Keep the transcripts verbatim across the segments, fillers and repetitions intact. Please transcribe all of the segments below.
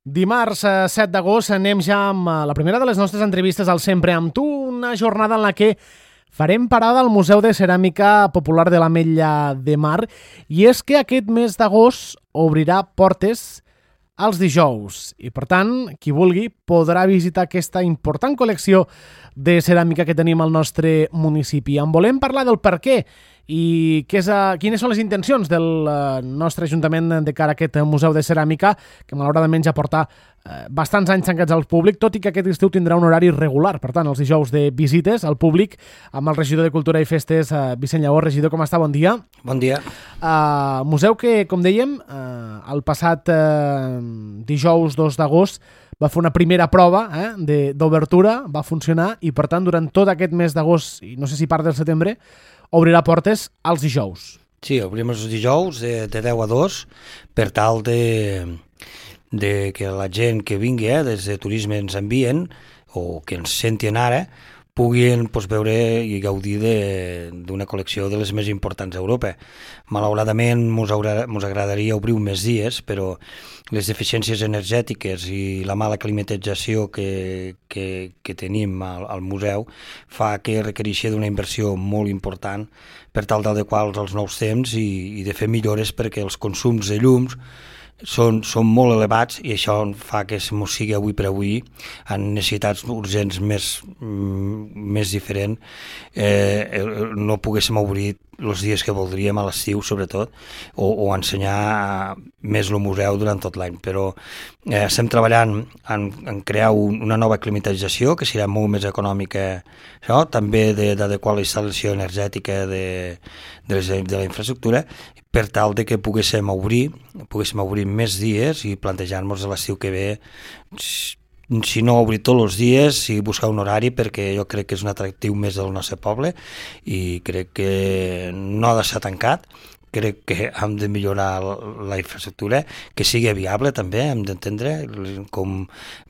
Dimarts set d'agost anem ja amb la primera de les nostres entrevistes al Sempre amb tu, una jornada en la que farem parada al Museu de Ceràmica Popular de l'Ametlla de Mar, i és que aquest mes d'agost obrirà portes els dijous i, per tant, qui vulgui podrà visitar aquesta important col·lecció de ceràmica que tenim al nostre municipi. En volem parlar del per què i què és, uh, quines són les intencions del uh, nostre Ajuntament de cara a aquest Museu de Ceràmica, que malauradament ja porta uh, bastants anys tancats al públic, tot i que aquest estiu tindrà un horari regular, per tant, els dijous de visites al públic, amb el regidor de Cultura i Festes, uh, Vicent Lleó. Regidor, com està? Bon dia. Bon dia. Uh, museu que, com dèiem, uh, el passat uh, dijous dos d'agost va fer una primera prova eh, d'obertura, va funcionar, i per tant, durant tot aquest mes d'agost, i no sé si part del setembre, obrirà portes als dijous. Sí, obrim els dijous de, de deu a dos per tal de, de que la gent que vingui, eh, des de turisme ens envien, o que ens sentin ara, puguin pues, veure i gaudir d'una col·lecció de les més importants d'Europa. Malauradament mos, mos agradaria obrir més dies, però les deficiències energètiques i la mala climatització que, que, que tenim al, al museu fa que requereixi d'una inversió molt important per tal d'adequar als nous temps i, i de fer millores perquè els consums de llums Són, són molt elevats, i això fa que mos sigui avui per avui en necessitats urgents més, més diferents, eh, no poguéssim obrir els dies que voldríem a l'estiu, sobretot, o, o ensenyar més el museu durant tot l'any. Però eh, estem treballant en, en crear un, una nova climatització que serà molt més econòmica, això, també d'adequar la instal·lació energètica de, de, les, de la infraestructura, per tal de que poguéssim obrir, poguéssim obrir més dies i plantejar-nos l'estiu que ve, si no obrir tots els dies, si buscar un horari, perquè jo crec que és un atractiu més del nostre poble i crec que no ha de ser tancat. Crec que hem de millorar la infraestructura, que sigui viable també, hem d'entendre, com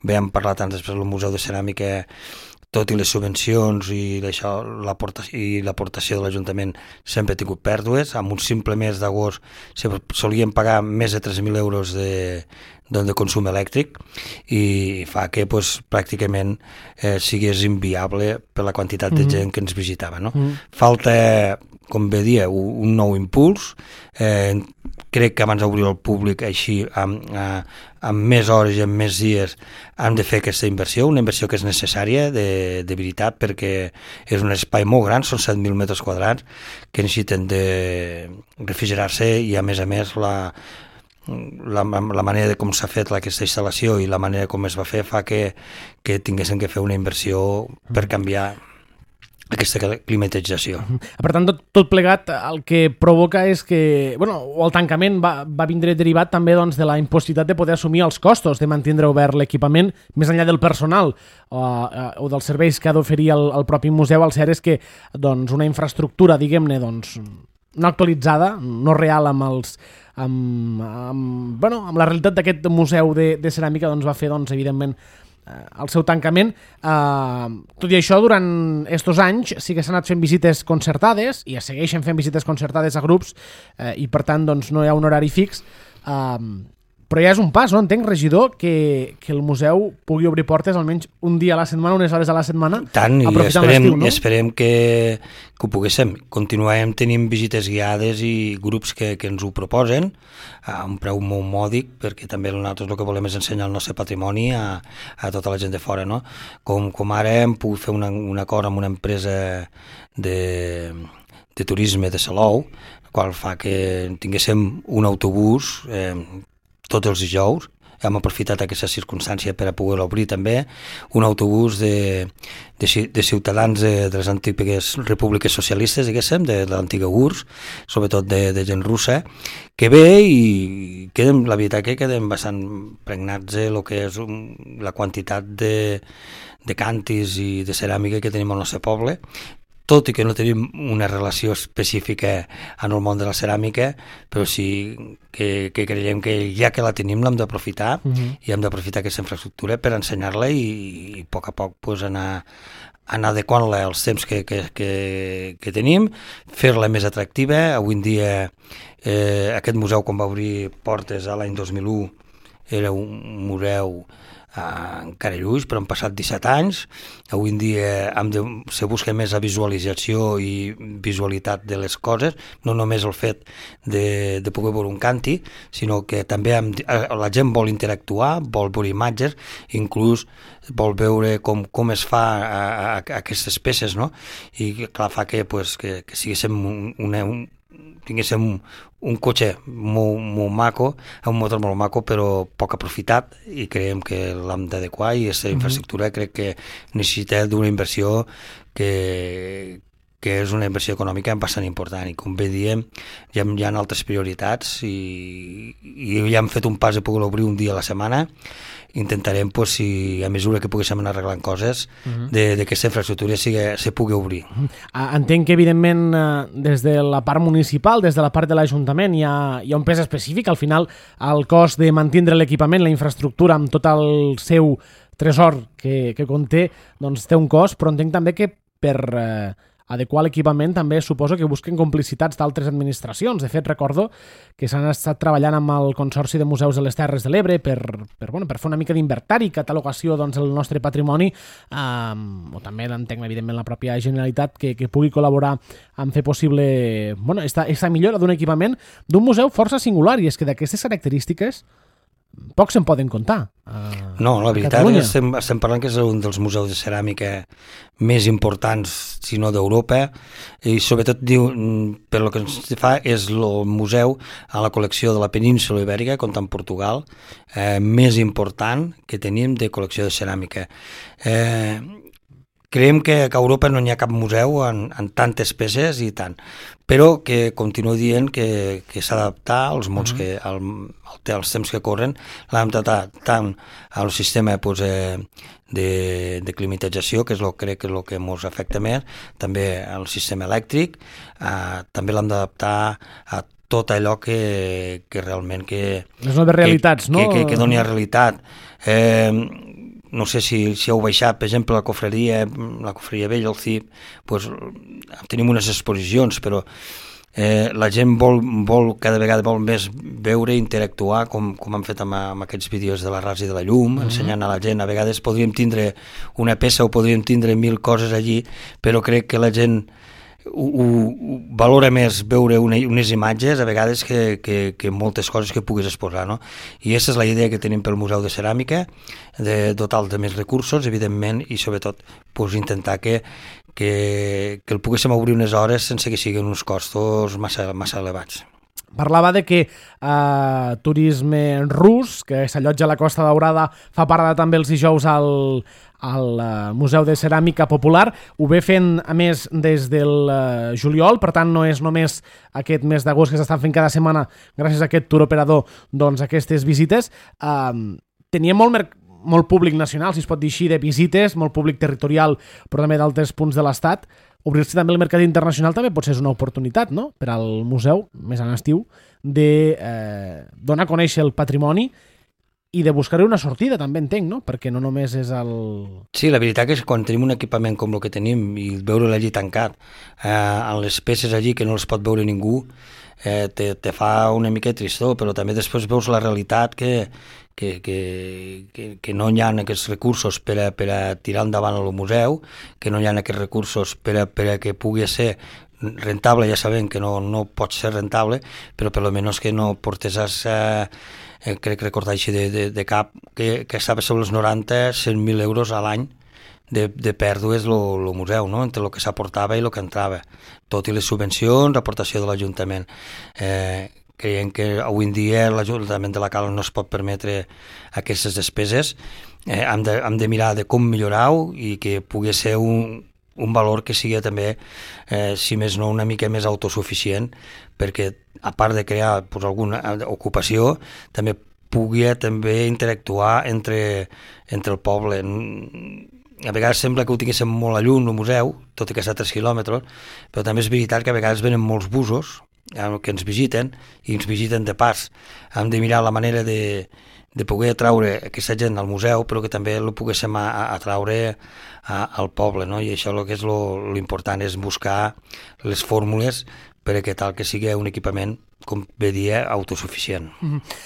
bé hem parlat tant després del Museu de Ceràmica, tot i les subvencions i l'aportació de l'Ajuntament sempre ha tingut pèrdues. Amb un simple mes d'agost solien pagar més de tres mil euros de, de consum elèctric i fa que pues, pràcticament eh, sigués inviable per la quantitat de gent que ens visitava. No? Mm. Falta, com bé dia, un nou impuls. Eh, crec que abans d'obrir el públic així, amb, amb més hores i amb més dies, hem de fer aquesta inversió, una inversió que és necessària de, de veritat, perquè és un espai molt gran, són set mil metres quadrats, que necessiten de refrigerar-se i, a més a més, la, la, la manera de com s'ha fet aquesta instal·lació i la manera com es va fer fa que, que tinguéssim que fer una inversió per canviar aquesta climatització. Per tant, tot, tot plegat el que provoca és que, bueno, el tancament va, va vindre derivat també doncs, de la impossibilitat de poder assumir els costos de mantenir obert l'equipament, més enllà del personal o, o dels serveis que ha d'oferir el, el propi museu. El cert és que doncs, una infraestructura, diguem-ne, doncs, no actualitzada, no real amb els amb, amb, bueno, amb la realitat d'aquest museu de, de ceràmica, doncs, va fer, doncs, evidentment, el seu tancament. Eh, tot i això, durant estos anys sí que s'han anat fent visites concertades i es segueixen fent visites concertades a grups eh, i per tant doncs, no hi ha un horari fix, eh, però ja és un pas, no? Entenc, regidor, que, que el museu pugui obrir portes almenys un dia a la setmana, unes hores a la setmana, tant, i esperem, no? esperem que, que ho poguéssim. Continuem tenint visites guiades i grups que, que ens ho proposen a un preu molt mòdic, perquè també nosaltres el que volem és ensenyar el nostre patrimoni a, a tota la gent de fora, no? Com, com ara hem pogut fer una, un acord amb una empresa de, de turisme de Salou, el qual fa que tinguéssim un autobús eh, tots els dijous. Hem aprofitat aquesta circumstància per a poder obrir també un autobús de, de, de ciutadans de, de les antigues repúbliques socialistes, diguéssim, de, de l'antiga U R S S, sobretot de, de gent russa, que ve i quedem, la veritat que quedem bastant pregnats de lo que és un, la quantitat de, de cantis i de ceràmica que tenim al nostre poble, tot i que no tenim una relació específica en el món de la ceràmica, però sí que, que creiem que ja que la tenim l'hem d'aprofitar uh-huh. i hem d'aprofitar aquesta infraestructura per ensenyar-la i, i a poc a poc pues, anar, anar adequant-la als temps que, que, que, que tenim, fer-la més atractiva. Avui en dia eh, aquest museu, quan va obrir portes a l'any dos mil u, era un museu Uh, encara lluix, però han passat disset anys. Avui en dia hem de, se busca més la visualització i visualitat de les coses, no només el fet de, de poder veure un canti, sinó que també hem, la gent vol interactuar, vol veure imatges, inclús vol veure com, com es fa a, a, a aquestes peces, no? I clar, fa que, pues, que, que siguéssim un, una, un, tinguéssim un, un cotxe molt, molt maco, un motor molt maco, però poc aprofitat, i creiem que l'hem d'adequar, i aquesta infraestructura crec que necessita d'una inversió que, que és una inversió econòmica bastant important, i com bé diem, ja hi ha altres prioritats, i, i ja hem fet un pas de poder obrir un dia a la setmana. Intentarem, pues, si a mesura que poguéssim anar arreglant coses, uh-huh. de, de que aquesta infraestructura sigui, se pugui obrir. Uh-huh. Entenc que, evidentment, des de la part municipal, des de la part de l'Ajuntament, hi ha, hi ha un pes específic. Al final, el cost de mantenir l'equipament, la infraestructura, amb tot el seu tresor que, que conté, doncs té un cost, però entenc també que per eh, adequar l'equipament també suposo que busquen complicitats d'altres administracions. De fet, recordo que s'han estat treballant amb el Consorci de Museus de les Terres de l'Ebre per, per, bueno, per fer una mica d'inventari, catalogació doncs, del nostre patrimoni, um, o també entenc, evidentment, la pròpia Generalitat que, que pugui col·laborar en fer possible bueno, esta, esta millora d'un equipament d'un museu força singular, i és que d'aquestes característiques pocs se'n poden contar. Uh, no, la veritat és que estem, estem parlant que és un dels museus de ceràmica més importants, si no d'Europa, i sobretot diu, per lo que ens fa és el museu a la col·lecció de la península Ibèrica, com en Portugal, eh, més important que tenim de col·lecció de ceràmica. Eh, creiem que a Europa no n'hi ha cap museu en, en tantes peces i tant, però que continuo dient que, que s'ha d'adaptar als mons que, al, als temps que corren, l'hem d'adaptar tant al sistema pues, eh, de, de climatització, que és lo, crec que és el que ens afecta més, també al sistema elèctric, eh, també l'hem d'adaptar a tot allò que, que realment que, les noves realitats, que, no? que, que, que doni realitat. Eh, no sé si, si heu baixat, per exemple, la cofreria, la cofreria vella, el C I P, pues, tenim unes exposicions, però eh, la gent vol, vol, cada vegada vol més veure i interactuar, com, com han fet amb, amb aquests vídeos de la Ras i de la Llum, uh-huh. ensenyant a la gent. A vegades podríem tindre una peça o podríem tindre mil coses allí, però crec que la gent ho, ho valora més veure una, unes imatges a vegades que, que, que moltes coses que puguis exposar, no? I aquesta és la idea que tenim pel Museu de Ceràmica, de dotar de més recursos, evidentment, i sobretot pues, intentar que, que, que el poguéssim obrir unes hores sense que siguin uns costos massa, massa elevats. Parlava de que eh, turisme rus, que s'allotja a la Costa Daurada, fa parada també els dijous al, al uh, Museu de Ceràmica Popular. Ho ve fent, a més, des del uh, juliol, per tant no és només aquest mes d'agost que s'estan fent cada setmana gràcies a aquest tour operador, doncs aquestes visites. Uh, tenia molt mercat molt públic nacional, si es pot dir així, de visites, molt públic territorial, però també d'altres punts de l'Estat. Obrir-se també el mercat internacional també pot ser una oportunitat, no?, per al museu, més en estiu, de eh, donar a conèixer el patrimoni i de buscar una sortida, també entenc, no?, perquè no només és el... Sí, la veritat és que quan tenim un equipament com el que tenim i veure-lo allí tancat, eh, en les peces allí que no les pot veure ningú, eh, te, te fa una mica tristor, però també després veus la realitat que, que, que, que, que no hi ha aquests recursos per a, per a tirar endavant el museu, que no hi ha aquests recursos per a, per a que pugui ser rentable. Ja sabem que no, no pot ser rentable, però per almenys que no portesàs, eh, eh, crec recordar així de, de, de cap, que, que estava sobre els noranta, cent mil euros a l'any de, de pèrdues el museu, no?, entre el que s'aportava i el que entrava, tot i les subvencions, aportació de l'Ajuntament. Eh, creiem que avui en dia l'Ajuntament de la Cala no es pot permetre aquestes despeses. Eh, hem, de, hem de mirar de com millorar-ho i que pugui ser un, un valor que sigui també, eh, si més no, una mica més autosuficient, perquè a part de crear pues, alguna ocupació, també pugui també interactuar entre, entre el poble. A vegades sembla que ho tinguéssim molt a lluny, el museu, tot i que està a tres quilòmetres, però també és veritat que a vegades venen molts busos que ens visiten i ens visiten de pas. Hem de mirar la manera de, de poder atraure aquesta gent al museu, però que també el poguéssim atraure a, al poble, no? I això el que és l'important és buscar les fórmules per a que tal que sigui un equipament, com bé dia, autosuficient. Mm-hmm.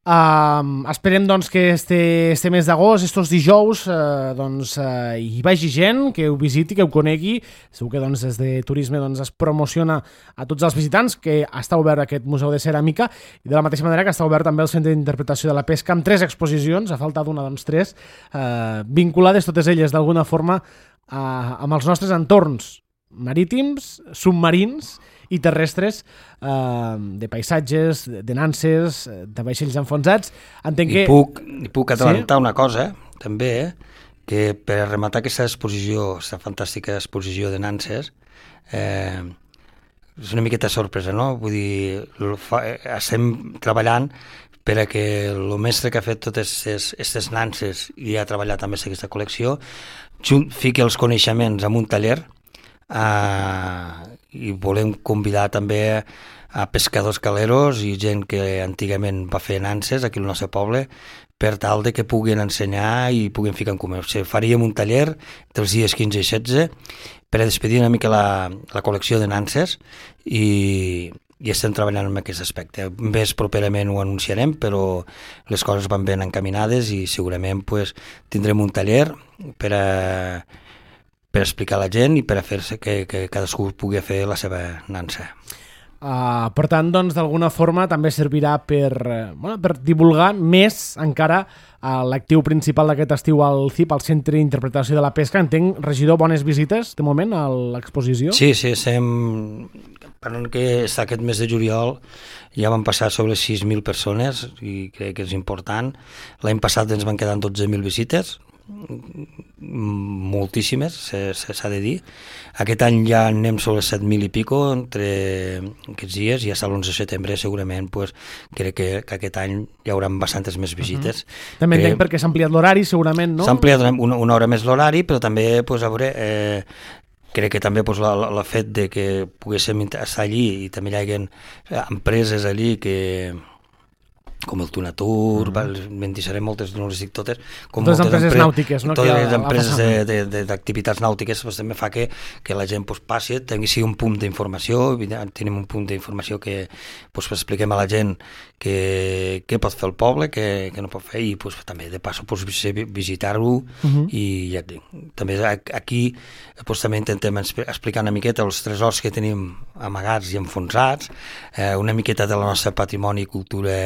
Uh, esperem doncs, que este, este mes d'agost, estos dijous, uh, doncs, uh, hi vagi gent, que ho visiti, que ho conegui. Segur que doncs, des de turisme doncs, es promociona a tots els visitants que està obert aquest Museu de Ceràmica i de la mateixa manera que està obert també el Centre d'Interpretació de la Pesca amb tres exposicions, a falta d'una, doncs tres, uh, vinculades totes elles d'alguna forma uh, amb els nostres entorns marítims, submarins i terrestres, eh, de paisatges, de nanses, de vaixells enfonsats. Entenc que... I puc, i puc adelantar sí? una cosa, també, eh? Que per rematar aquesta exposició, aquesta fantàstica exposició de nanses, eh, és una miqueta sorpresa, no? Vull dir, fa, estem treballant per a que el mestre que ha fet totes aquestes nanses i ha treballat també aquesta col·lecció, fiqui els coneixements en un taller, Uh, i volem convidar també a pescadors caleros i gent que antigament va fer nanses aquí al nostre poble per tal de que puguin ensenyar i puguin ficar en comú. O sigui, faríem un taller dels dies quinze i setze per a despedir una mica la, la col·lecció de nanses i, i estem treballant en aquest aspecte. Més properament ho anunciarem, però les coses van ben encaminades i segurament pues, tindrem un taller per a per explicar a la gent i per a fer-se que, que cadascú pugui fer la seva nansa. Uh, per tant, doncs, d'alguna forma també servirà per, bueno, per divulgar més encara uh, l'actiu principal d'aquest estiu al C I P, al Centre d'Interpretació de la Pesca. Entenc, regidor, bones visites de moment a l'exposició? Sí, sí, estem... Parlant que aquest mes de juliol ja van passar sobre sis mil persones i crec que és important. L'any passat ens van quedar dotze mil visites, moltíssimes, s'ha de dir. Aquest any ja anem sobre set mil i pico entre aquests dies i fins a l'onze de setembre segurament pues, crec que, que aquest any hi haurà bastantes més visites. Uh-huh. També entenc perquè s'ha ampliat l'horari segurament, no? S'ha ampliat una, una hora més l'horari, però també pues, a veure, eh, crec que també pues, el fet de que poguéssim estar allí i també hi hagi empreses allí que com el Tunatur, mm. me'n deixaré moltes, no les dic totes, com totes moltes empreses empre... nàutiques, no? Totes les empreses d'activitats nàutiques pues, també fa que, que la gent pues, passi, tingui sí, un punt d'informació, tenim un punt d'informació que pues, expliquem a la gent què que pot fer el poble, què que no pot fer, i pues, també de passo pues, visitar-ho, uh-huh. i ja, també aquí pues, també intentem explicar una miqueta els tresors que tenim amagats i enfonsats, eh, una miqueta de la nostra patrimoni i cultura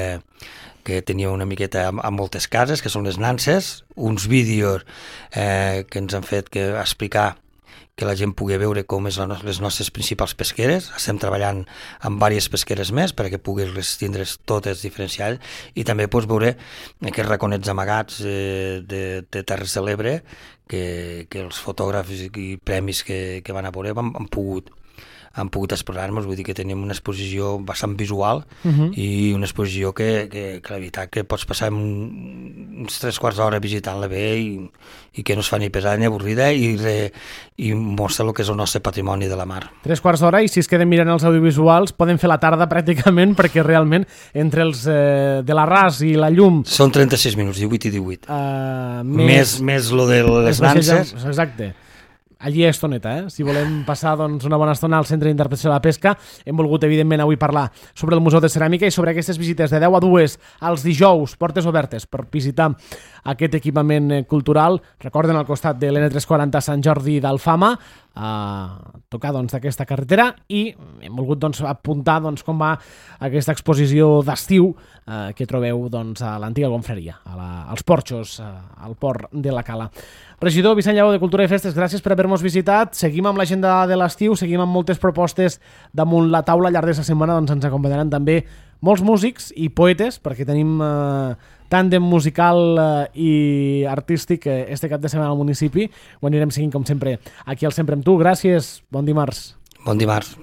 que tenia una miqueta a moltes cases, que són les nanses, uns vídeos eh, que ens han fet que explicar que la gent pugui veure com és les nostres principals pesqueres. Estem treballant amb diverses pesqueres més perquè puguis les tindre totes diferenciades i també pots veure aquests raconets amagats eh, de, de Terres de l'Ebre que, que els fotògrafs i premis que, que van a veure han, han pogut han pogut explorar-nos, vull dir que tenim una exposició bastant visual uh-huh. i una exposició que, que, que la veritat que pots passar un, uns tres quarts d'hora visitant-la bé i, i que no es fa ni pesada ni avorrida i, re, i mostra el que és el nostre patrimoni de la mar. Tres quarts d'hora i si es queden mirant els audiovisuals poden fer la tarda pràcticament perquè realment entre els eh, de l'arràs i la llum... Són trenta-sis minuts, divuit i divuit. Uh, més, més, més lo de les nanses. Exacte. Allí és estoneta, eh? Si volem passar doncs, una bona estona al Centre d'Interpretació de la Pesca, hem volgut, evidentment, avui parlar sobre el Museu de Ceràmica i sobre aquestes visites de deu a dues als dijous, portes obertes, per visitar aquest equipament cultural. Recorden, al costat de l'N tres quaranta Sant Jordi d'Alfama, a tocar doncs, d'aquesta carretera, i hem volgut doncs, apuntar doncs, com va aquesta exposició d'estiu eh, que trobeu doncs, a l'antiga confraria, a la, als porxos, eh, al port de la Cala. Regidor Vicent Lleó de Cultura i Festes, gràcies per haver-nos visitat. Seguim amb l'agenda de l'estiu, seguim amb moltes propostes damunt la taula. Al llarg d'aquesta setmana doncs, ens acompanyaran també molts músics i poetes, perquè tenim eh, tàndem musical eh, i artístic eh, este cap de setmana al municipi. Ho anirem seguint, com sempre, aquí al Sempre amb tu. Gràcies, bon dimarts. Bon dimarts.